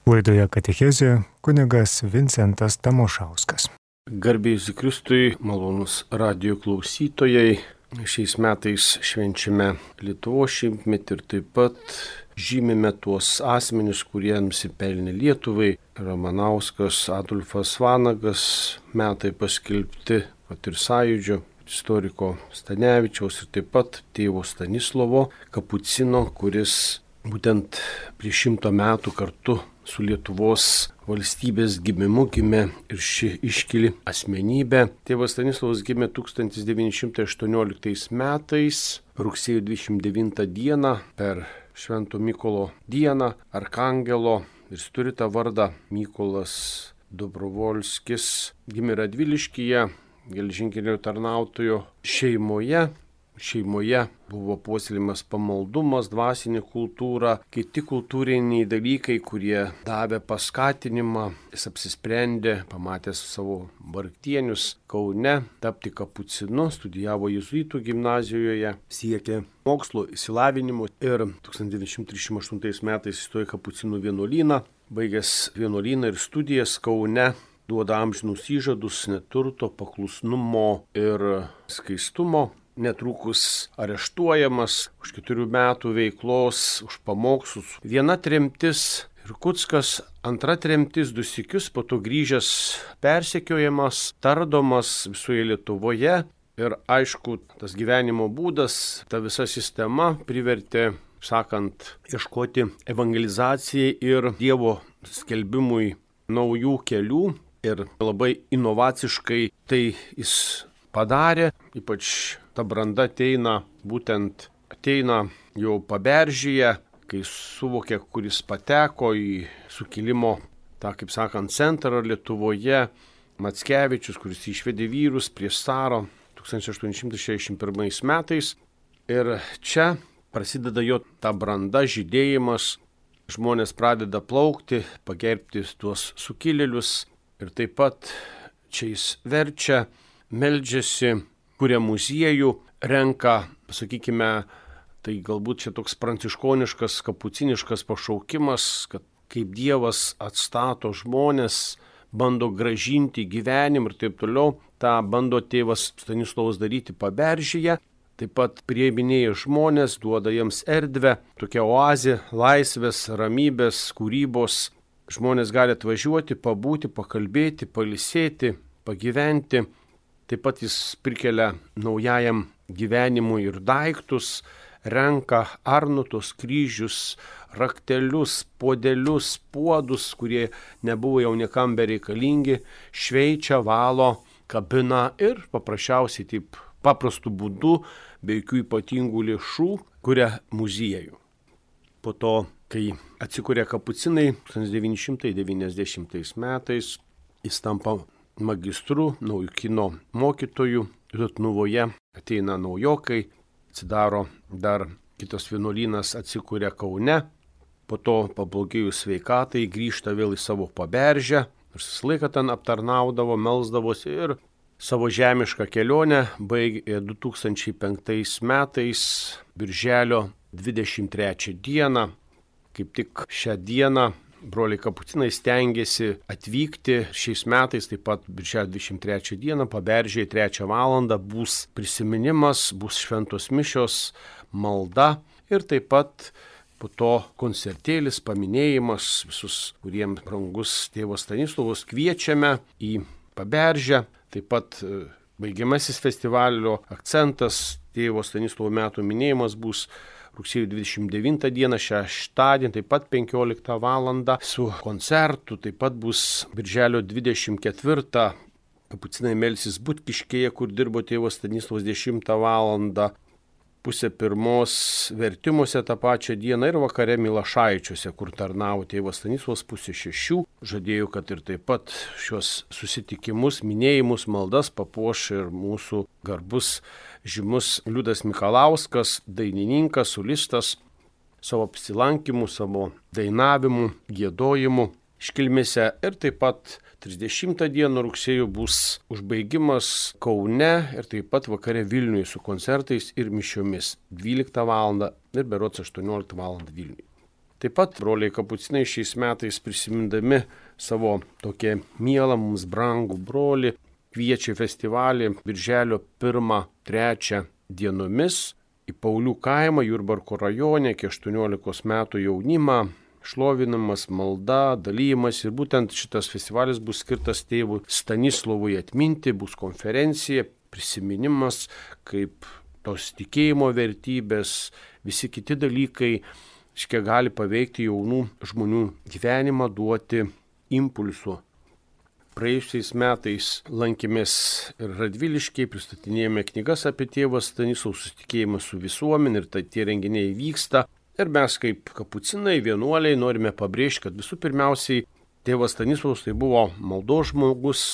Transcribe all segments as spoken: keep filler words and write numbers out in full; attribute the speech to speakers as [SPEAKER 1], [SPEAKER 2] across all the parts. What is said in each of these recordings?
[SPEAKER 1] Laidoje Katechezė kunigas Vincentas Tamošauskas.
[SPEAKER 2] Garbė Jėzui Kristui, malonus radijo klausytojai. Šiais metais švenčiame Lietuvos šimtmetį ir taip pat žymime tuos asmenis, kurie nusipelnė Lietuvai. Ramanauskas, Adolfas Vanagas, metai paskelbti, pat ir Sąjūdžio, istoriko Stanevičiaus ir taip pat tėvo Stanislovo Kapucino, kuris būtent prieš šimto metų kartu su Lietuvos valstybės gimimu gimė ir ši iškili asmenybė. Tėvas Stanislovas gimė tūkstantis devyni šimtai aštuonioliktais metais, rugsėjo dvidešim devintą dieną, per Švento Mykolo dieną, Arkangelo, ir jis turi tą vardą Mykolas Dobrovolskis. Gimė Radviliškyje, geležinkelio tarnautojo šeimoje. Šeimoje buvo puoselėjimas pamaldumas, dvasinė kultūra, kiti kultūriniai dalykai, kurie davė paskatinimą. Jis apsisprendė, pamatęs savo vargdienius Kaune, tapti kapucinu, studijavo jėzuitų gimnazijoje, siekė mokslo išsilavinimo ir tūkstantis devyni šimtai trisdešimt aštuntais metais įstojo į kapucinų vienuolyną. Baigęs vienuolyną ir studijas Kaune, duoda amžinus įžadus neturto, paklusnumo ir skaistumo. Netrukus areštuojamas už keturių metų veiklos, už pamokslus. Viena tremtis Irkutskas, antra tremtis du sykius, po to grįžęs persekiojamas, tardomas visoje Lietuvoje. Ir aišku, tas gyvenimo būdas, ta visa sistema privertė, sakant, ieškoti evangelizacijai ir Dievo skelbimui naujų kelių. Ir labai inovaciškai tai jis padarė, ypač ta branda ateina, būtent ateina jau Paberžyje, kai suvokė, kuris pateko į sukilimo, tą, kaip sakant, centrą Lietuvoje, Mackevičius, kuris išvedė vyrus prieš carą tūkstantis aštuoni šimtai šešiasdešimt pirmais metais. Ir čia prasideda jo ta branda, žydėjimas, žmonės pradeda plaukti, pagerbti tuos sukilėlius ir taip pat čia jis verčia, meldžiasi, kuria muziejų, renka, sakykime, tai galbūt čia toks pranciškoniškas, kapuciniškas pašaukimas, kad kaip Dievas atstato žmonės, bando gražinti gyvenimą ir taip toliau, tą bando tėvas Stanislovas daryti Paberžyje, taip pat priiminėja žmonės, duoda jiems erdvę, tokia oazė, laisvės, ramybės, kūrybos, žmonės gali atvažiuoti, pabūti, pakalbėti, pailsėti, pagyventi. Taip pat jis prikelia naujajam gyvenimui ir daiktus, renka arnutus, kryžius, raktelius, puodelius, puodus, kurie nebuvo jau niekam bereikalingi, šveičia, valo, kabina ir paprasčiausiai taip paprastų būdų, be jokių ypatingų lėšų, kuria muziejų. Po to, kai atsikuria kapucinai, tūkstantis devyni šimtai devyniasdešimtais metais, jis tampa magistru, naujokino mokytojų, Rutnuvoje ateina naujokai, atsidaro dar kitas vienuolynas, atsikuria Kaune, po to pablogėjus sveikatai grįžta vėl į savo Paberžę, nors visą laiką ten aptarnaudavo, melsdavosi ir savo žemišką kelionę baigė du tūkstančiai penktais metais, birželio dvidešimt trečią dieną, kaip tik šią dieną broliai kapucinai stengiasi atvykti šiais metais, taip pat birželio dvidešimt trečią dieną, Paberžėje trečią valandą bus prisiminimas, bus šventos mišios, malda ir taip pat po to koncertėlis, paminėjimas, visus, kuriems brangus tėvas Stanislovas kviečiame į Paberžę, taip pat baigiamasis festivalio akcentas, tėvo Stanislovo metų minėjimas bus rugsėjo dvidešimt devintą dieną, šeštadienį, taip pat penkioliktą valandą su koncertu, taip pat bus birželio dvidešimt ketvirtą kapucinai melsis Butkiškėje, kur dirbo tėvas Stanislovas dešimtą valandą, pusę pirmos vertimuose tą pačią dieną ir vakare Milašaičiuose, kur tarnavo tėvas Stanislovas pusę šešių. Žadėjau, kad ir taip pat šios susitikimus, minėjimus, maldas papuoš ir mūsų garbus žymus Liudas Mikalauskas, dainininkas, solistas, savo apsilankimu, savo dainavimu, giedojimu iškilmėse. Ir taip pat trisdešimtą dieną rugsėjo bus užbaigimas Kaune ir taip pat vakare Vilniuje su koncertais ir mišiomis dvyliktą valandą ir berods aštuonioliktą valandą Vilniuje. Taip pat broliai kapucinai šiais metais prisimindami savo tokią mielą mums brangų brolį kviečia festivalį birželio pirmą trečią dienomis į Paulių kaimą Jurbarko rajone iki aštuoniolikos metų jaunimą, šlovinamas, malda, dalymas ir būtent šitas festivalis bus skirtas tėvui Stanislovui atminti, bus konferencija, prisiminimas, kaip tos tikėjimo vertybės, visi kiti dalykai, iškia gali paveikti jaunų žmonių gyvenimą, duoti impulsų. Praėjusiais metais lankėmės ir Radviliškiai, pristatinėjome knygas apie tėvą Stanislovą, susitikėjimą su visuomenė ir tai tie renginiai vyksta. Ir mes kaip kapucinai, vienuoliai norime pabrėžti, kad visų pirmiausiai tėvas Stanislovas tai buvo maldos žmogus,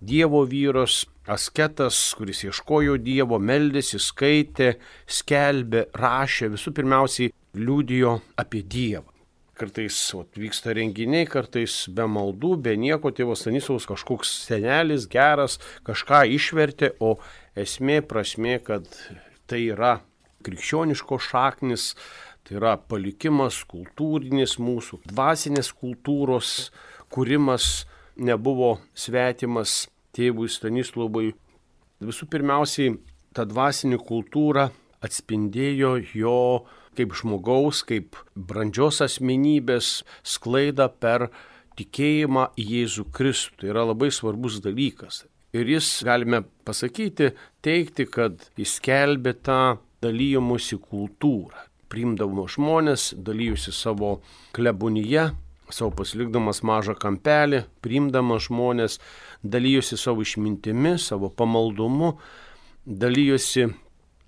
[SPEAKER 2] Dievo vyras, asketas, kuris ieškojo Dievo, meldėsi, skaitė, skelbė, rašė, visų pirmiausiai liudijo apie Dievą. Kartais o, vyksta renginiai, kartais be maldų, be nieko, tėvas Stanislovas kažkoks senelis, geras, kažką išvertė, o esmė, prasmė, kad tai yra krikščioniško šaknis, tai yra palikimas kultūrinis mūsų, dvasinės kultūros kūrimas nebuvo svetimas tėvui Stanislovui. Visų pirmiausiai, ta dvasinė kultūra atspindėjo jo kaip žmogaus, kaip brandžios asmenybės sklaidą per tikėjimą į Jėzų Kristų. Tai yra labai svarbus dalykas. Ir jis, galime pasakyti, teikti, kad jis skelbė tą dalymosi kultūrą. Priimdavo žmonės, dalyjusi savo klebonyje, savo pasilikdamas mažą kampelį, priimdamas žmonės, dalyjusi savo išmintimi, savo pamaldumu, dalyjusi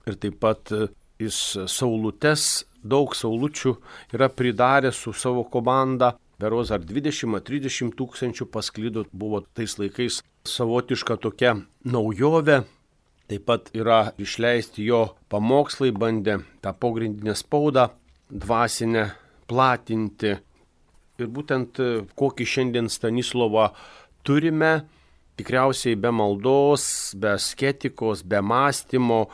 [SPEAKER 2] ir taip pat jis saulutes, daug saulučių yra pridaręs su savo komanda, berods ar dvidešimt ar trisdešimt tūkstančių pasklido, buvo tais laikais savotiška tokia naujovė. Taip pat yra išleisti jo pamokslai, bandė tą pogrindinę spaudą dvasinę platinti. Ir būtent kokį šiandien Stanislovą turime, tikriausiai be maldos, be asketikos, be mąstymo,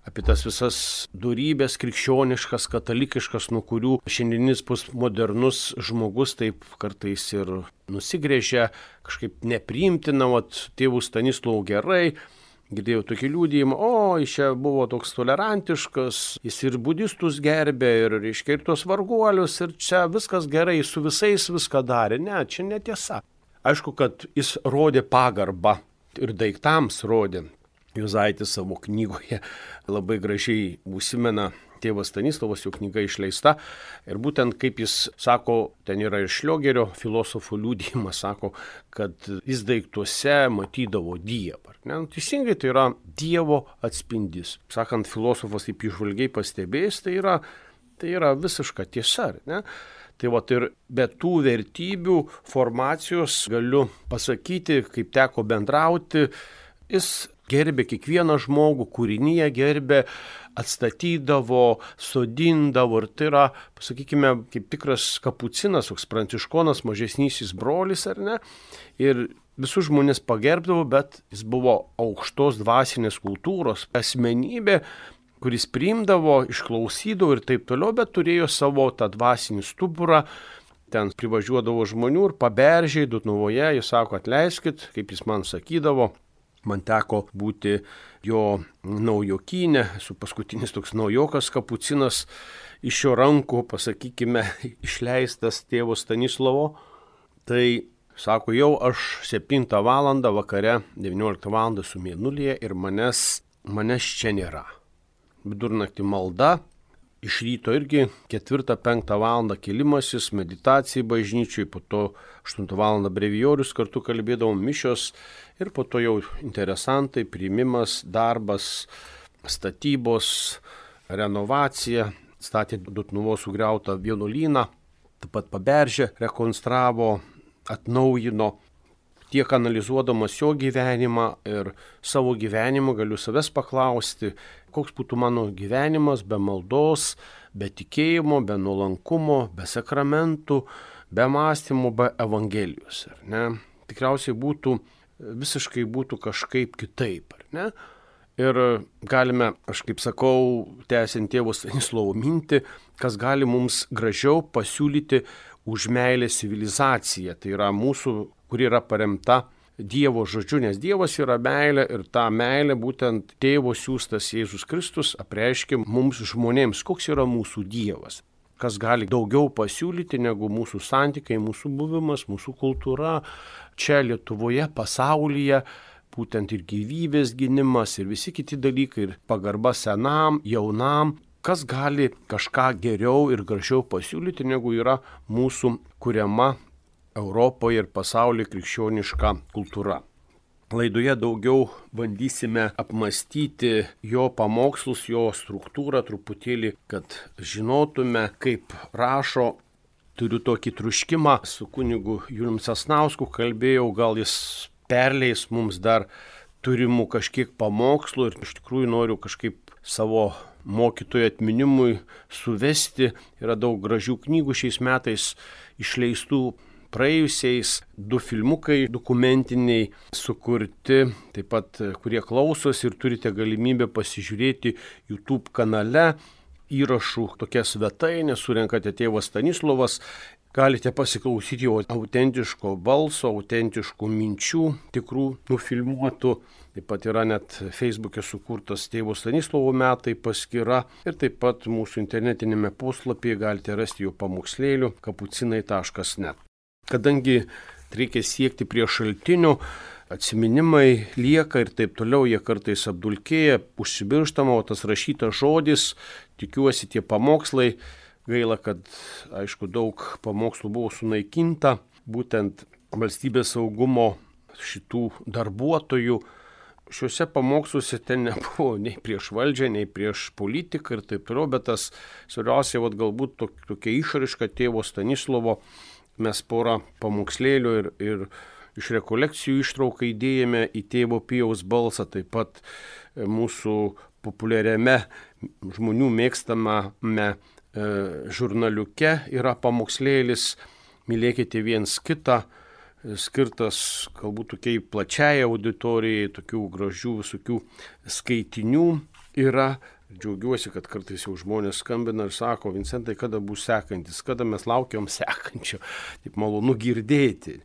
[SPEAKER 2] apie tas visas dorybės krikščioniškas, katalikiškas, nuo kurių šiandieninis postmodernus žmogus taip kartais ir nusigręžia, kažkaip nepriimtina, vat tėvų Stanislovų gerai. Girdėjau tokį liudijimą, o, jis čia buvo toks tolerantiškas, jis ir budistus gerbė, ir, reiškia, ir tos varguolius, ir čia viskas gerai, su visais viską darė. Ne, čia netiesa. Aišku, kad jis rodė pagarbą ir daiktams rodė. Juzaitis savo knygoje labai gražiai užsimena tėvas Stanislovas, jo knyga išleista. Ir būtent kaip jis sako, ten yra ir Šliogerio filosofų liudijimas, sako, kad jis daiktuose matydavo Dievą. Ne? Teisingai, tai yra Dievo atspindys. Sakant, filosofas taip įžvalgiai pastebėjęs, tai yra, tai yra visiška tiesa. Ne? Tai va, ir be tų vertybių formacijos galiu pasakyti, kaip teko bendrauti, jis gerbė kiekvieną žmogų, kūrinyje gerbė, atstatydavo, sodindavo ir tai yra, pasakykime, kaip tikras kapucinas, toks pranciškonas, mažesnysis brolis, ar ne? Ir visus žmonės pagerbdavo, bet jis buvo aukštos dvasinės kultūros asmenybė, kuris priimdavo, išklausydavo ir taip toliau, bet turėjo savo tą dvasinį stuburą. Ten privažiuodavo žmonių ir paberžiai, Dutnuvoje, jis sako, atleiskit, kaip jis man sakydavo. Man teko būti jo naujokynė, esu paskutinis toks naujokas kapucinas iš jo rankų, pasakykime, išleistas tėvo Stanislovo. Tai, sako, jau aš septintą valandą vakare, devynioliktą valandą su mėnulyje ir manęs, manęs čia nėra. Vidurnaktį malda, iš ryto irgi ketvirtą penktą valandą kėlimasis, meditacija bažnyčiui, po to aštuntą valandą brevijorius kartu kalbėdavom mišios ir po to jau interesantai, priimimas, darbas, statybos, renovacija, statė Dutnuvos sugriautą vienuolyną, taip pat Paberžę rekonstravo, atnaujino. Tiek analizuodamas jo gyvenimą ir savo gyvenimą galiu savęs paklausti, koks būtų mano gyvenimas be maldos, be tikėjimo, be nuolankumo, be sakramentų, be mąstymo, be evangelijos. Ar ne? Tikriausiai būtų, visiškai būtų kažkaip kitaip. Ar ne? Ir galime, aš kaip sakau, tęsiant tėvo Stanislovo mintį, kas gali mums gražiau pasiūlyti už meilės civilizaciją. Tai yra mūsų, kuri yra paremta Dievo žodžiu, nes Dievas yra meilė ir tą meilę būtent tėvo siųstas Jėzus Kristus apreiškia mums žmonėms, koks yra mūsų Dievas. Kas gali daugiau pasiūlyti negu mūsų santykiai, mūsų buvimas, mūsų kultūra čia Lietuvoje, pasaulyje, būtent ir gyvybės gynimas ir visi kiti dalykai, ir pagarba senam, jaunam. Kas gali kažką geriau ir gražiau pasiūlyti, negu yra mūsų kuriama Europoje ir pasaulyje krikščioniška kultūra. Laidoje daugiau bandysime apmastyti jo pamokslus, jo struktūrą truputėlį, kad žinotume, kaip rašo. Turiu tokį truškimą, su kunigu Julium Sasnausku kalbėjau, gal jis perleis mums dar turimų kažkiek pamokslų ir iš tikrųjų noriu kažkaip savo mokytojų atminimui suvesti. Yra daug gražių knygų šiais metais išleistų. Praėjusiais du filmukai dokumentiniai sukurti, taip pat kurie klausos ir turite galimybę pasižiūrėti YouTube kanale įrašų tokia svetainė, surenkate tėvas Stanislovas, galite pasiklausyti jo autentiško balso, autentiškų minčių, tikrų nufilmuotų. Taip pat yra net Facebook'e sukurtas tėvo Stanislovo metai paskyra ir taip pat mūsų internetinėme puslapyje galite rasti jo pamokslėlių kapucinai taškas net. Kadangi reikia siekti prie šaltinių, atsiminimai lieka ir taip toliau, jie kartais apdulkėja, užsibirštama, o tas rašytas žodis, tikiuosi tie pamokslai, gaila, kad aišku daug pamokslų buvo sunaikinta, būtent valstybės saugumo šitų darbuotojų. Šiuose pamoksluose ten nebuvo nei prieš valdžią, nei prieš politiką ir taip toliau, bet tas svarbiausia, vat, galbūt tokia išraiška tėvo Stanislovo. Mes porą pamokslėlių ir, ir iš rekolekcijų ištrauką įdėjome į tėvo Pijaus balsą, taip pat mūsų populiariame žmonių mėgstamame e, žurnaliuke yra pamokslėlis Mylėkite viens kitą, skirtas galbūt tokiai plačiai auditorijai, tokių gražių visokių skaitinių yra. Džiaugiuosi, kad kartais jau žmonės skambina ir sako, Vincentai, kada bus sekantis, kada mes laukiam sekančio. Taip malonu girdėti,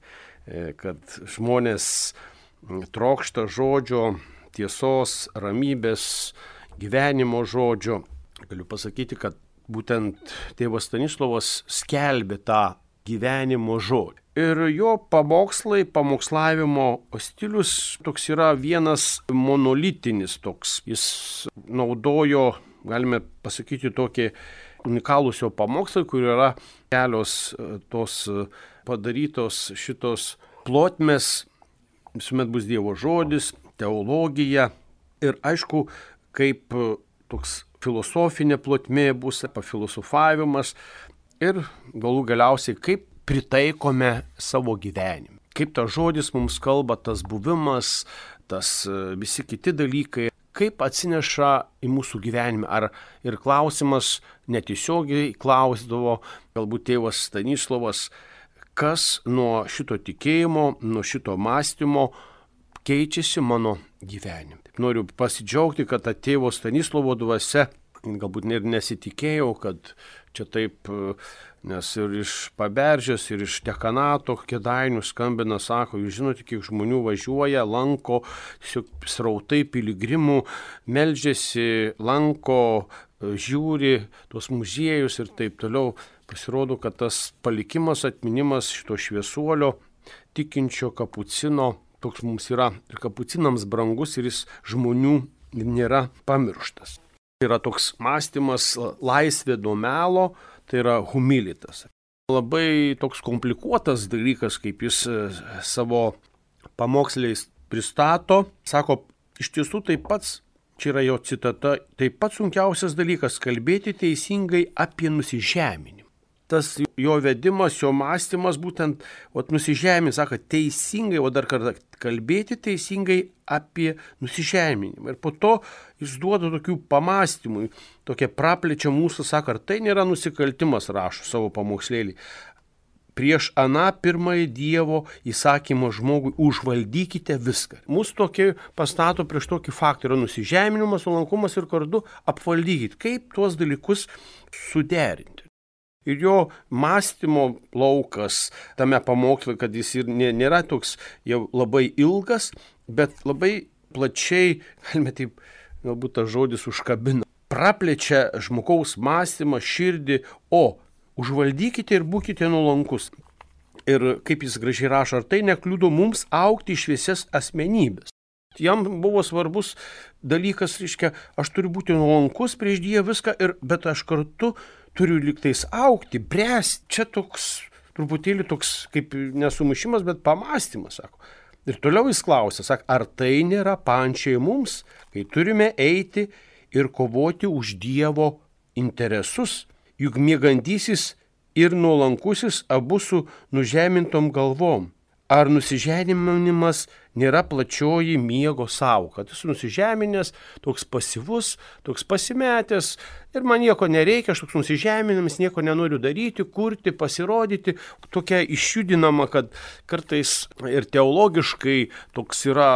[SPEAKER 2] kad žmonės trokšta žodžio, tiesos, ramybės, gyvenimo žodžio. Galiu pasakyti, kad būtent tėvas Stanislovas skelbė tą gyvenimo žodį. Ir jo pamokslai, pamokslavimo stilius toks yra vienas monolitinis toks. Jis naudojo, galime pasakyti, tokį unikalūs jo pamokslai, kur yra kelios tos padarytos šitos plotmės. Visuomet bus Dievo žodis, teologija ir aišku, kaip toks filosofinė plotmė bus, pafilosofavimas ir galų galiausiai kaip pritaikome savo gyvenimą. Kaip tas žodis mums kalba, tas buvimas, tas visi kiti dalykai, kaip atsineša į mūsų gyvenimą. Ar ir klausimas netiesiogiai klausdavo, galbūt tėvas Stanislovas, kas nuo šito tikėjimo, nuo šito mąstymo keičiasi mano gyvenime. Taip, noriu pasidžiaugti, kad ta tėvo Stanislovo dvasia, galbūt ir nesitikėjau, kad čia taip, nes ir iš Paberžės, ir iš dekanato Kėdainių skambina, sako, jūs žinote, kiek žmonių važiuoja, lanko, srautai piligrimų, meldžiasi, lanko, žiūri tuos muziejus ir taip toliau. Pasirodo, kad tas palikimas, atminimas šito šviesuolio, tikinčio kapucino, toks mums yra ir kapucinams brangus ir jis žmonių nėra pamirštas. Tai yra toks mąstymas laisvė nuo melo, tai yra humilitas. Labai toks komplikuotas dalykas, kaip jis savo pamoksliais pristato. Sako, iš tiesų tai pats, čia yra jo citata, tai pats sunkiausias dalykas kalbėti teisingai apie nusižeminimą. Tas jo vedimas, jo mąstymas būtent ot, nusižeminimą, sako, teisingai, o dar kartą kalbėti teisingai apie nusižeminimą. Ir po to jis duoda tokių pamąstymų, tokia praplečia mūsų, sako, ar tai nėra nusikaltimas, rašo savo pamokslėlį. prieš aną pirmąjį Dievo įsakymą žmogui užvaldykite viską. Mūsų tokį pastato prieš tokį faktą yra nusižeminimas, nuolankumas ir kartu apvaldykit. Kaip tuos dalykus suderinti? Ir jo mąstymo laukas tame pamoksle, kad jis ir nėra toks jau labai ilgas, bet labai plačiai, galime taip, galbūt tas žodis užkabina, praplečia žmogaus mąstymą, širdį, o užvaldykite ir būkite nuolankus. Ir kaip jis gražiai rašo, ar tai nekliudo mums augti į šviesias asmenybės. Jam buvo svarbus dalykas, reiškia, aš turiu būti nuolankus prieš Dievą viską, ir, bet aš kartu turiu liktais augti, bręsti. Čia toks, truputėlį toks kaip nesumušimas, bet pamąstymas, sako. Ir toliau jis klausia, sako, ar tai nėra pančiai mums, kai turime eiti ir kovoti už Dievo interesus. Juk miegantysis ir nuolankusis abu su nužemintom galvom. Ar nusižeminimas nėra plačioji miego sąvoka? Tas nusižeminęs, toks pasyvus, toks pasimetęs ir man nieko nereikia, aš toks nusižeminimas, nieko nenoriu daryti, kurti, pasirodyti. Tokia išjudinama, kad kartais ir teologiškai toks yra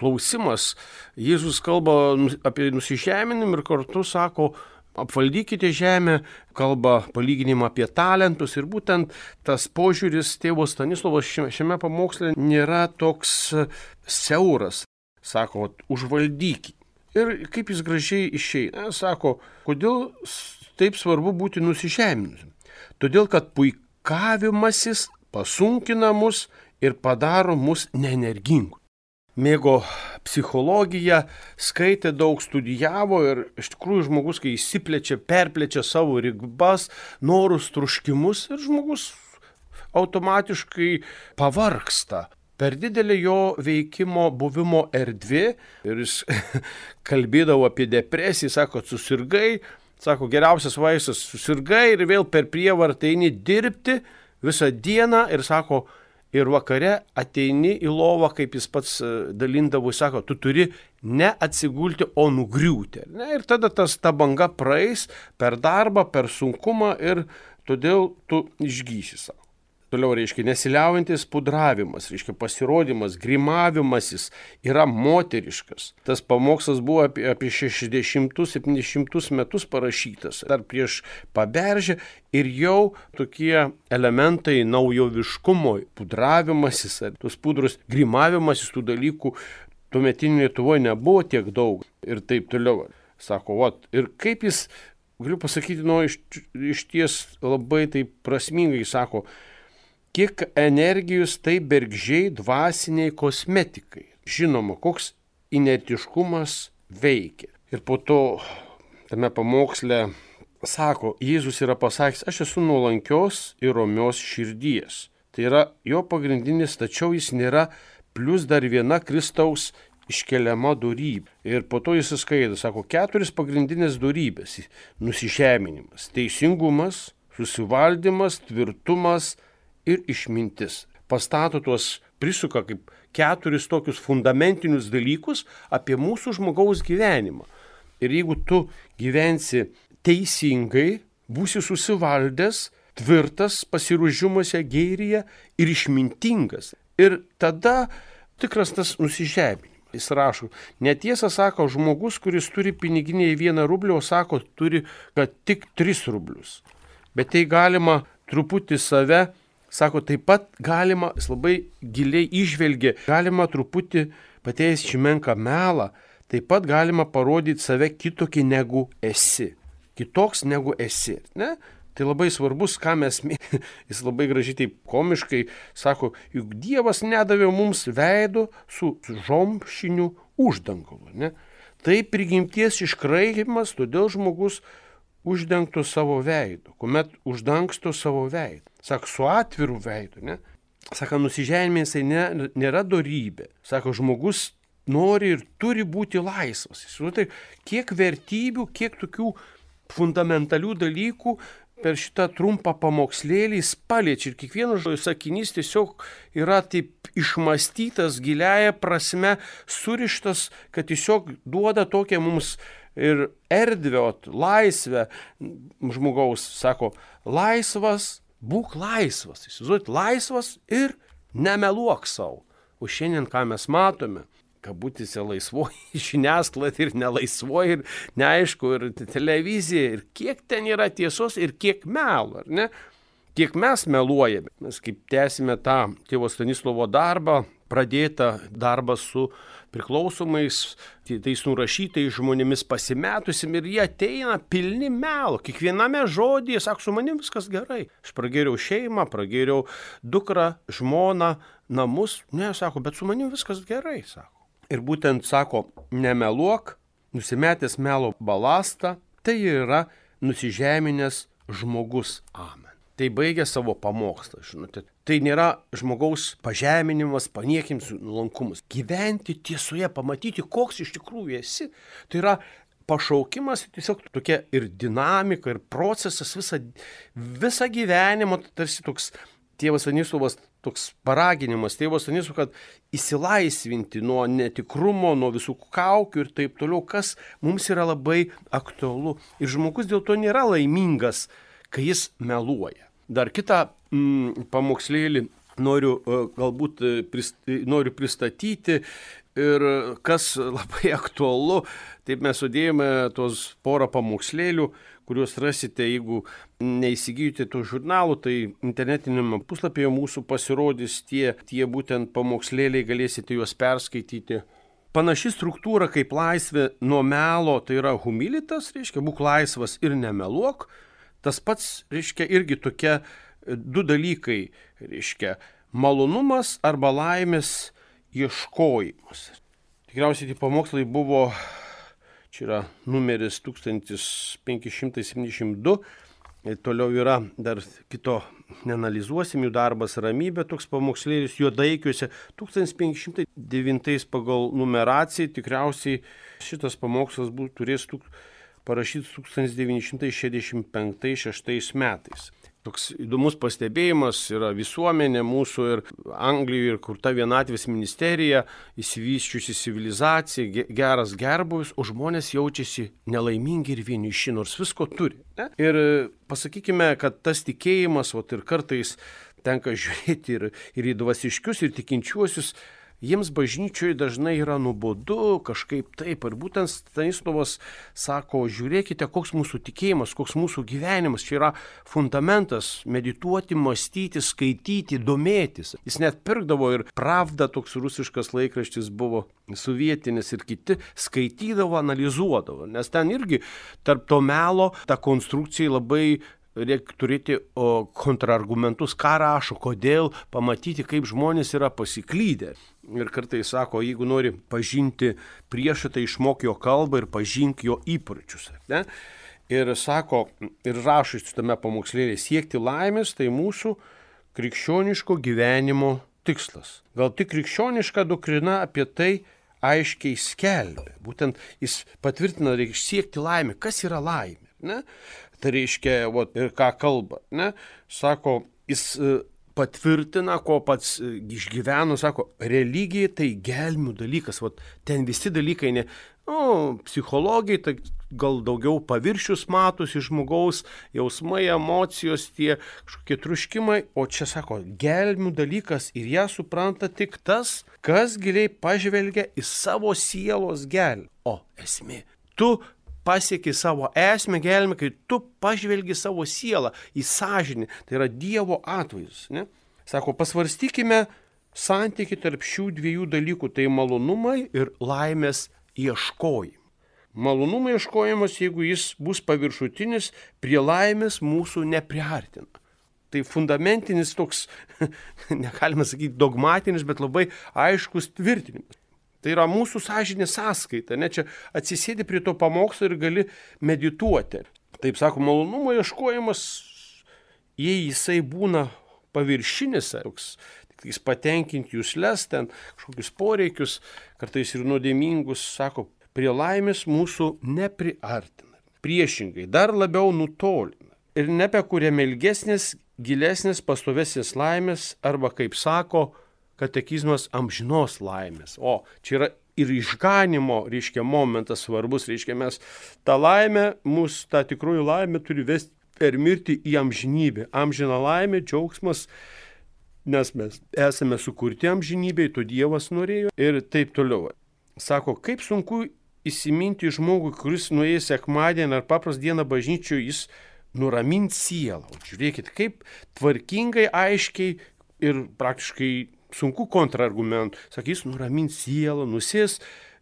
[SPEAKER 2] klausimas. Jėzus kalba apie nusižeminimą ir kartu sako, apvaldykite žemę, kalba palyginimą apie talentus ir būtent tas požiūris tėvo Stanislovo šiame pamoksle nėra toks siauras. Sako, užvaldykite. Ir kaip jis gražiai išeina, sako, kodėl taip svarbu būti nusižeminus? Todėl, kad puikavimasis pasunkina mus ir padaro mus neenergingus. Mėgo psichologiją, skaitė daug, studijavo ir iš tikrųjų žmogus, kai įsiplečia, perplečia savo ribas, norus, troškimus ir žmogus automatiškai pavargsta. Per didelį jo veikimo buvimo erdvė ir jis kalbėdavo apie depresiją, sako, susirgai, sako, geriausias vaistas susirgai ir vėl per prievartą eini dirbti visą dieną ir sako, ir vakare ateini į lovą, kaip jis pats dalindavo, jis sako, tu turi ne atsigulti, o nugriūti. Ne? Ir tada tas, ta banga praeis per darbą, per sunkumą ir todėl tu išgysi savo. Toliau, reiškia, nesiliaujantis pudravimas, reiškia, pasirodymas, grimavimasis yra moteriškas. Tas pamokslas buvo apie, apie šešiasdešimtus septyniasdešimtus metus parašytas, dar prieš Paberžę ir jau tokie elementai naujoviškumo, pudravimasis, ar tos pudros grimavimasis, tų dalykų tuometinėje Lietuvoje nebuvo tiek daug ir taip toliau. Sako, vat, ir kaip jis, galiu pasakyti, nu, iš, iš ties labai taip prasmingai sako, kiek energijos tai bergžiai dvasiniai kosmetikai. Žinoma, koks inertiškumas veikia. Ir po to tame pamoksle sako, Jėzus yra pasakęs, aš esu nuolankios ir romios širdies. Tai yra jo pagrindinis, tačiau jis nėra plus dar viena Kristaus iškeliama dorybė. Ir po to jis skaito, sako, keturis pagrindinės dorybės. Nusižeminimas, teisingumas, susivaldymas, tvirtumas ir išmintis. Pastato tuos, prisuka kaip keturis tokius fundamentinius dalykus apie mūsų žmogaus gyvenimą. Ir jeigu tu gyvensi teisingai, būsi susivaldęs, tvirtas, pasiruošimuose gėryje ir išmintingas. Ir tada tikras tas nusižeminimas. Jis rašo, netiesa sako žmogus, kuris turi piniginėje vieną rublį, o sako, turi, kad tik tris rublius. Bet tai galima truputį save, sako, taip pat galima, jis labai giliai išvelgia, galima truputį pateis šimenką melą, taip pat galima parodyti save kitokį negu esi. Kitoks negu esi. Ne? Tai labai svarbus, ką mes mėgime. Jis labai gražiai taip komiškai sako, juk Dievas nedavė mums veido su žomšiniu uždangalu. Ne? Tai prigimties iškraipimas, todėl žmogus uždengtų savo veidu, kuomet uždangsto savo veidą. Sako, su atviru veidu, ne? Sako, nusižeminimas tai ne, nėra dorybė. Sako, žmogus nori ir turi būti laisvas. Tai kiek vertybių, kiek tokių fundamentalių dalykų per šitą trumpą pamokslėlį jis paliečia. Ir kiekvienas sakinys tiesiog yra taip išmastytas, giliaja prasme, surištas, kad tiesiog duoda tokią mums ir erdvę, laisvę žmogaus, sako, laisvas Būk laisvas, įsivaizduot, laisvas ir nemeluok savo. O šiandien ką mes matome, kabutėse laisvoji žiniasklaida ir nelaisvoji, ir neaišku, ir televizija, ir kiek ten yra tiesos ir kiek melo, ar ne? Kiek mes meluojame. Mes kaip tęsime tą tėvo Stanislovo darbą, pradėtą darbą su priklausomais, tais nurašytais žmonėmis pasimetusim ir jie ateina pilni melo. Kiekviename žodyje, sako, su manim viskas gerai. Aš pragėriau šeimą, pragėriau dukrą, žmoną, namus. Ne, sako, bet su manim viskas gerai, sako. Ir būtent, sako, nemeluok, nusimetęs melo balastą, tai yra nusižeminęs žmogus. Amen. Tai baigia savo pamokslą, žinote. Tai nėra žmogaus pažeminimas, paniekimas, nuolankumas. Gyventi tiesoje, pamatyti, koks iš tikrųjų esi. Tai yra pašaukimas, tiesiog tokia ir dinamika, ir procesas visą, visą gyvenimo, tarsi toks tėvas Stanislovas, toks paraginimas tėvas Stanislovas, kad įsilaisvinti nuo netikrumo, nuo visų kaukių ir taip toliau, kas mums yra labai aktualu. Ir žmogus dėl to nėra laimingas, kai jis meluoja. Dar kitą mm, pamokslėlį noriu uh, galbūt uh, prist, noriu pristatyti ir kas labai aktualu, taip mes sudėjome tos porą pamokslėlių, kuriuos rasite, jeigu neįsigijote tų žurnalų, tai internetinėme puslapyje mūsų pasirodys tie, tie būtent pamokslėliai, galėsite juos perskaityti. Panaši struktūra kaip laisvė nuo melo, tai yra humilitas, reiškia, būk laisvas ir nemeluok. Tas pats, reiškia, irgi tokie du dalykai, reiškia, malonumas arba laimės ieškojimas. Tikriausiai tie pamokslai buvo, čia yra numeris tūkstantis penki šimtai septyniasdešimt du, toliau yra dar kito, neanalizuosim, jų darbas ramybė, toks pamokslėlis Juodaikiuose, tūkstantis penki šimtai devintais pagal numeraciją, tikriausiai šitas pamokslas būtų turės tūk... parašytas tūkstantis devyni šimtai šešiasdešimt penktais šeštais metais. Toks įdomus pastebėjimas yra visuomenė mūsų ir Anglijoje ir kurta vienatvės ministerija, įsivysčiusi civilizacija, geras gerbūvis, o žmonės jaučiasi nelaimingi ir vieniši, nors visko turi. Ne? Ir pasakykime, kad tas tikėjimas, o ir kartais tenka žiūrėti ir, ir į dvasiškius, ir tikinčiuosius, jiems bažnyčioje dažnai yra nuobodu, kažkaip taip. Ir būtent Stanislovas sako, žiūrėkite, koks mūsų tikėjimas, koks mūsų gyvenimas. Čia yra fundamentas medituoti, mąstyti, skaityti, domėtis. Jis net pirkdavo ir Pravda, toks rusiškas laikraštis buvo sovietinis, ir kiti skaitydavo, analizuodavo. Nes ten irgi tarp to melo ta konstrukcija labai reikia turėti o, kontrargumentus, ką rašo, kodėl, pamatyti, kaip žmonės yra pasiklydę. Ir kartais sako, jeigu nori pažinti priešą, tai išmok jo kalbą ir pažink jo įpročius. Ne? Ir sako, ir rašo šitame pamokslėlėje, siekti laimės, tai mūsų krikščioniško gyvenimo tikslas. Gal tik krikščioniška doktrina apie tai aiškiai skelbia. Būtent jis patvirtina, reikia siekti laimę. Kas yra laimė? Ne? Tai reiškia, vat, ir ką kalba, ne? Sako, jis patvirtina, ko pats išgyveno, sako, religija tai gelmių dalykas, vat, ten visi dalykai, ne, nu, psichologijai, tai gal daugiau paviršius matosi žmogaus, jausmai, emocijos, tie kažkokie truškimai, o čia sako, gelmių dalykas ir ją supranta tik tas, kas giliai pažvelgia į savo sielos gelmę. O esmė, tu pasieki savo esmę gelmę, kai tu pažvelgi savo sielą į sąžinį, tai yra Dievo atvaizdas. Ne? Sako, pasvarstykime santykį tarp šių dviejų dalykų, tai malonumai ir laimės ieškojimai. Malonumo ieškojimas, jeigu jis bus paviršutinis, prie laimės mūsų nepriartina. Tai fundamentinis toks, negalima sakyti dogmatinis, bet labai aiškus tvirtinimas. Tai yra mūsų sąžinė sąskaita, ne, čia atsisėdi prie to pamokslo ir gali medituoti. Taip sako, malonumo ieškojimas, jei jisai būna paviršinis, toks, tik jis patenkinti jūsles, ten kažkokius poreikius, kartais ir nuodėmingus, sako, prie laimės mūsų nepriartina. Priešingai, dar labiau nutolina. Ir nebekuriame ilgesnės, gilesnės, pastovesnės laimės, arba, kaip sako, katekizmas amžinos laimės. O čia yra ir išganimo, reiškia, momentas svarbus, reiškia, mes tą laimę, mūsų tą tikrųjų laimę turi vesti per mirtį į amžinybę. Amžina laimė, džiaugsmas, nes mes esame sukurti amžinybėj, to Dievas norėjo ir taip toliau. Sako, kaip sunku įsiminti žmogui, kuris nuėjęs sekmadienį ar paprastą dieną bažnyčioje, jis nuramint sielą. Žiūrėkit, kaip tvarkingai, aiškiai ir praktiškai sunku kontrargumentų. Sakys, nuramint sielą, nusės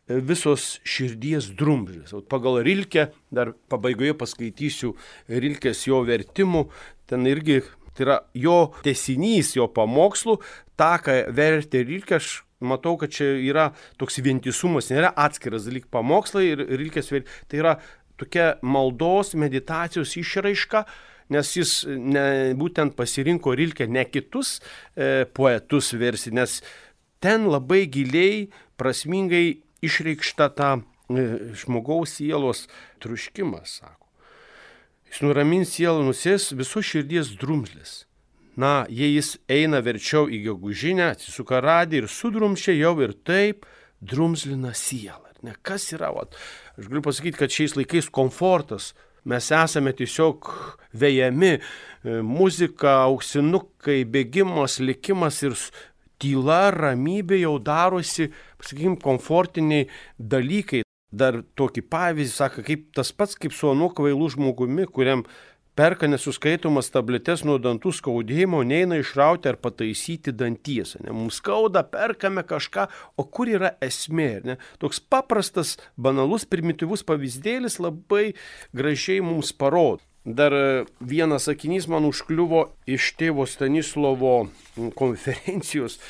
[SPEAKER 2] visos širdies drumzlės. Pagal Rilkę, dar pabaigoje paskaitysiu Rilkės jo vertimų, ten irgi tai yra jo tęsinys, jo pamokslų, tą, ką vertė Rilkė, aš matau, kad čia yra toks vientisumas, nėra atskiras dalyk pamokslai ir Rilkės vertimai, tai yra tokia maldos, meditacijos išraiška, nes jis ne, būtent pasirinko Rilkę ne kitus e, poetus versti, nes ten labai giliai, prasmingai išreikšta ta e, žmogaus sielos truškimas, sako. Jis nuramins sielą, nusės visos širdies drumzlės. Na, jei jis eina verčiau į gegužinę, atsisuka radį ir sudrumšia jau ir taip drumzlina sielą. Ne, kas yra? Vat, aš galiu pasakyti, kad šiais laikais komfortas. Mes esame tiesiog vejami, muzika, auksinukai, bėgimas, likimas ir tyla, ramybė jau darosi, pasakykime, komfortiniai dalykai. Dar tokį pavyzdį, sako, kaip tas pats kaip su anu kvailu žmogumi, kuriam perka nesuskaitomas tabletes nuo dantų skaudėjimo, neina išrauti ar pataisyti danties. Ne? Mums skauda, perkame kažką, o kur yra esmė? Ne? Toks paprastas, banalus, primityvus pavyzdėlis labai gražiai mums parodo. Dar vienas sakinys man užkliuvo iš tėvo Stanislovo konferencijos.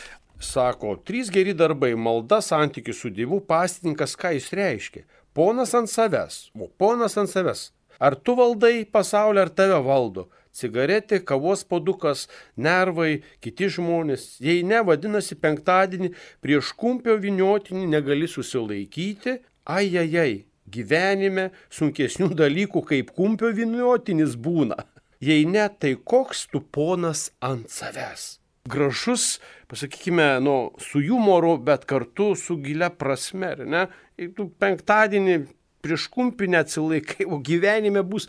[SPEAKER 2] Sako, trys geri darbai, malda, santykis su Dievu, pastininkas, ką jis reiškia? Ponas ant savęs, o ponas ant savęs. Ar tu valdai pasaulį, ar tave valdo? Cigaretė, kavos puodukas, nervai, kiti žmonės. Jei ne, vadinasi, penktadienį prieš kumpio vyniotinį negali susilaikyti. Ai, ai, ai, gyvenime sunkesnių dalykų kaip kumpio vyniotinis būna. Jei ne, tai koks tu ponas ant savęs? Gražus, pasakykime, nu, su jumoru, bet kartu su gilia prasme, ne? Jei tu penktadienį prieš kumpį neatsilaikai, o gyvenime bus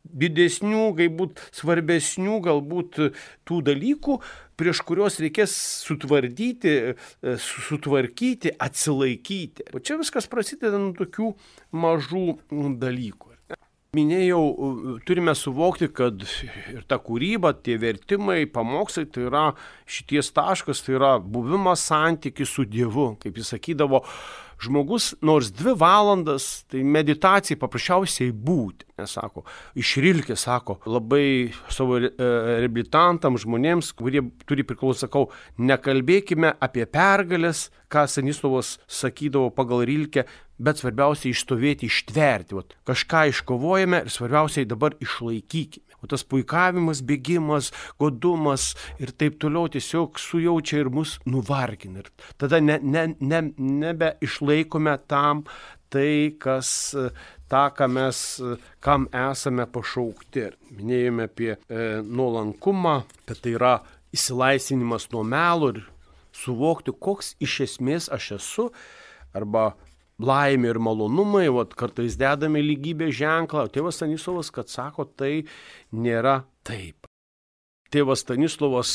[SPEAKER 2] didesnių, galbūt svarbesnių, galbūt tų dalykų, prieš kuriuos reikės sutvardyti, sutvarkyti, atsilaikyti. O čia viskas prasideda nuo tokių mažų dalykų. Minėjau, turime suvokti, kad ir ta kūryba, tie vertimai, pamokslai, tai yra šities taškas, tai yra buvimas santykis su Dievu. Kaip jis sakydavo, žmogus nors dvi valandas, tai meditacijai paprasčiausiai būti. Nesako, iš Rilkės, sako, labai savo reabilitantams, žmonėms, kurie turi priklausyti, sakau, nekalbėkime apie pergalės, ką Stanislovas sakydavo pagal Rilkę, bet svarbiausia išstovėti, ištverti. Vat, kažką iškovojame ir svarbiausiai dabar išlaikykime. O tas puikavimas, bėgimas, godumas ir taip toliau tiesiog sujaučia ir mus nuvargina. Ir tada ne, ne, ne, nebe išlaikome tam tai, kas, tą, ką mes, kam esame pašaukti. Minėjome apie e, nuolankumą, kad tai yra įsilaisvinimas nuo melo ir suvokti, koks iš esmės aš esu, arba laimė ir malonumai, vat, kartais dedame lygybės ženklą. Tėvas Stanislovas, kad sako, tai nėra taip. Tėvas Stanislovas,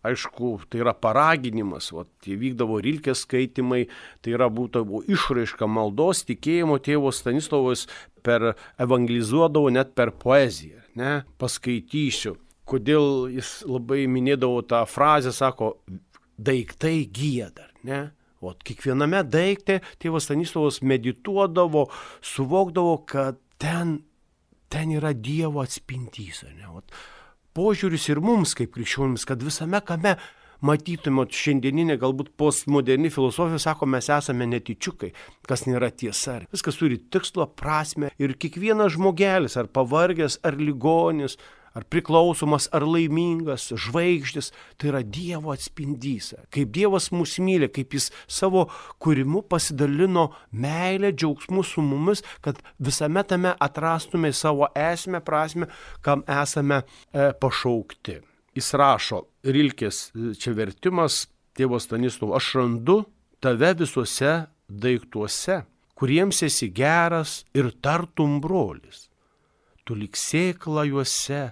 [SPEAKER 2] aišku, tai yra paraginimas, vat, vykdavo Rilkės skaitimai, tai yra būtų išraiška maldos, tikėjimo. Tėvas Stanislovas per evangelizuodavo net per poeziją. Ne? Paskaitysiu, kodėl jis labai minėdavo tą frazę, sako, daiktai gieda, ne? O kiekviename daikte tėvas Stanislovas medituodavo, suvokdavo, kad ten, ten yra Dievo atspindys. Ne? O požiūris ir mums kaip krikščionims, kad visame kame matytume šiandieninė galbūt postmoderni filosofija, sako, mes esame netyčiukai, kas nėra tiesa. Viskas turi tikslą, prasmę ir kiekvienas žmogelis, ar pavargęs, ar ligonis, ar priklausomas, ar laimingas, žvaigždės, tai yra Dievo atspindys. Kaip Dievas mus myli, kaip jis savo kūrimu pasidalino meilę, džiaugsmu su mumis, kad visame tame atrastume savo esmę, prasmę, kam esame e, pašaukti. Jis rašo, Rilkės čia vertimas, tėvo Stanislovo, aš randu tave visuose daiktuose, kuriems esi geras ir tartum brolis. tu lik sėkla juose,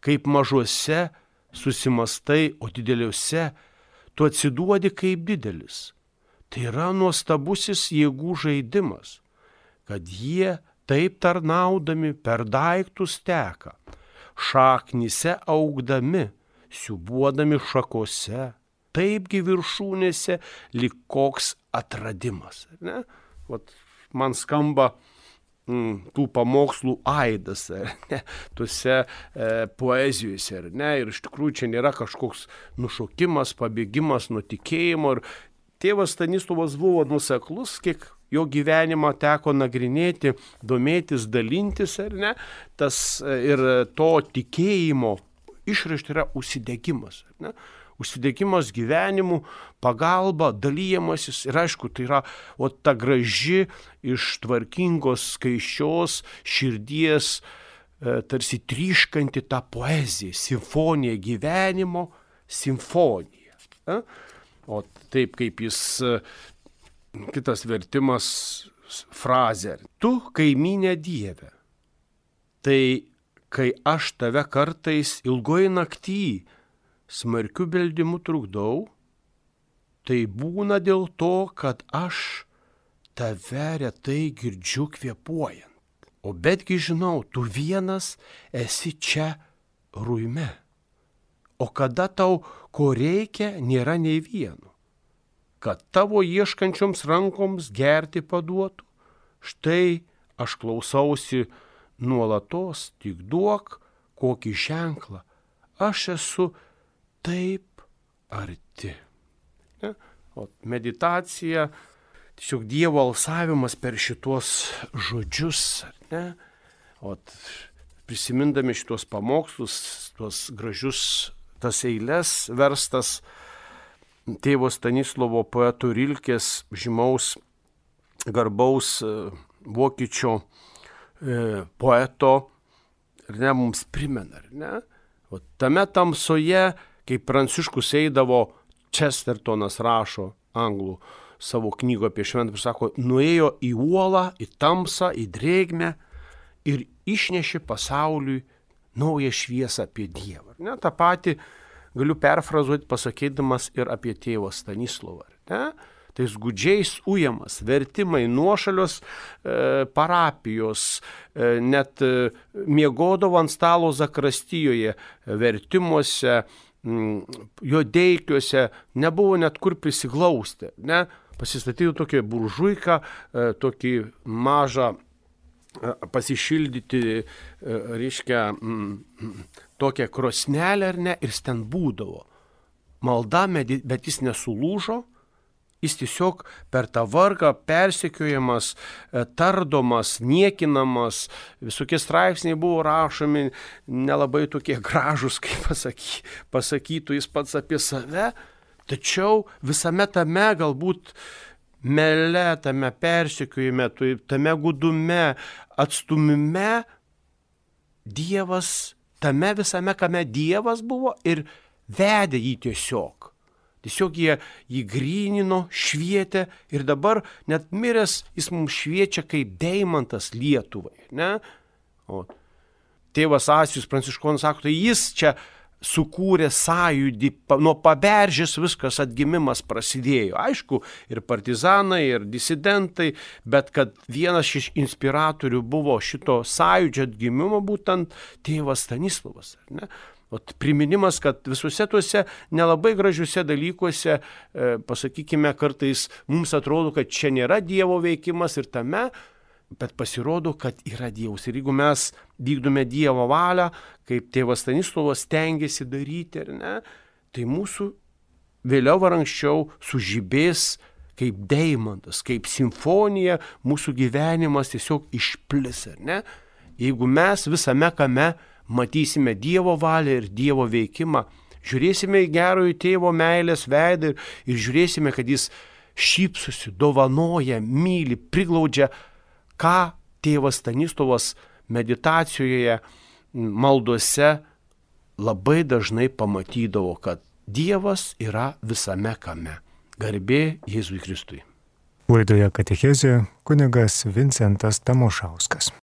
[SPEAKER 2] kaip mažuose susimastai, o dideliuose tu atsiduodi kaip didelis. Tai yra nuostabusis jėgų žaidimas, kad jie taip tarnaudami per daiktus teka, šaknyse augdami, siūbuodami šakose, taipgi viršūnėse lyg koks atradimas. Ne? Vat man skamba mm, tų pamokslų aidas, ne? Tuose e, poezijose. Ne? Ir iš tikrųjų čia nėra kažkoks nušokimas, pabėgimas nuo tikėjimo. Ir tėvas Stanislovas buvo nuoseklus, kiek jo gyvenimą teko nagrinėti, domėtis, dalintis, ar ne? Tas ir to tikėjimo išraiška yra užsidegimas. Ar ne? Užsidegimas gyvenimu, pagalba, dalyjamasis. Ir aišku, tai yra o ta graži iš tvarkingos, skaičios širdies, e, tarsi tryškanti ta poezija, simfonija, gyvenimo simfonija. E? O taip kaip jis, kitas vertimas, frazė. Tu, kaimynė Dieve, tai kai aš tave kartais ilgoj nakty smarkiu beldimu trukdau, tai būna dėl to, kad aš tave retai girdžiu kvėpuojant. O betgi žinau, tu vienas esi čia ruime. O kada tau ko reikia, nėra nei vieno. Kad tavo ieškančioms rankoms gerti paduotų, štai aš klausausi nuolatos, tik duok kokį ženklą. Aš esu taip arti. Ne? O meditacija, tiesiog Dievo alsavimas per šitos žodžius. Ne? O prisimindami šitos pamokslus, tuos gražius tas eiles verstas tėvo Stanislovo poeto Rilkės, žymaus garbaus vokiečio e, poeto, ar ne, mums primena, ar ne? O tame tamsoje, kai Pranciškus eidavo, Chestertonas rašo anglų savo knygą apie šventą, sako, nuėjo į uolą, į tamsą, į drėgmę ir išnešė pasauliui naują šviesą apie Dievą. Ne? Ta pati galiu perfrazuoti pasakydamas ir apie tėvą Stanislovą. Ne? Tais gudžiais ujamas, vertimai, nuošalios e, parapijos, e, net e, miegodavo ant stalo Zakristijoje, vertimuose, m, jo deikiuose, nebuvo net kur prisiglausti. Ne? Pasistatydavo tokią buržuiką, e, tokį mažą pasišildyti, reiškia, tokią krosnelę, ar ne, ir ten būdavo. Malda, bet jis nesulūžo, jis tiesiog per tą vargą persekiojamas, tardomas, niekinamas, visokie straipsniai buvo rašomi, nelabai tokie gražus, kaip pasaky, pasakytų jis pats apie save, tačiau visame tame galbūt mele, tame persekiojime, tame gudume, atstumime, Dievas, tame visame, kame Dievas buvo ir vedė jį tiesiog. Tiesiog jie jį grynino, švietė ir dabar net miręs jis mums šviečia kaip deimantas Lietuvai. Ne? O tėvas Asijus Pranciškonas sako, tai jis čia sukūrė sąjūdį, nuo Paberžės viskas atgimimas prasidėjo. Aišku, ir partizanai, ir disidentai, bet kad vienas iš inspiratorių buvo šito sąjūdžio atgimimo būtent tėvas Stanislovas. Ne? O priminimas, kad visuose tuose nelabai gražiuose dalykuose, e, pasakykime, kartais mums atrodo, kad čia nėra Dievo veikimas ir tame, bet pasirodo, kad yra Dievas. Ir jeigu mes vykdome Dievo valią, kaip tėvas Stanislovas stengiasi daryti, ar ne, tai mūsų vėliau ar anksčiau sužibės kaip deimantas, kaip simfonija, mūsų gyvenimas tiesiog išplis, ar ne? Jeigu mes visame kame matysime Dievo valią ir Dievo veikimą, žiūrėsime į gerojo tėvo meilės veidą ir, ir žiūrėsime, kad jis šypsosi, dovanoja, myli, priglaudžia, ką tėvas Stanislovas meditacijoje, maldose labai dažnai pamatydavo, kad Dievas yra visame kame. Garbė Jėzui Kristui.
[SPEAKER 1] Laidoje Katechezė kunigas Vincentas Tamošauskas.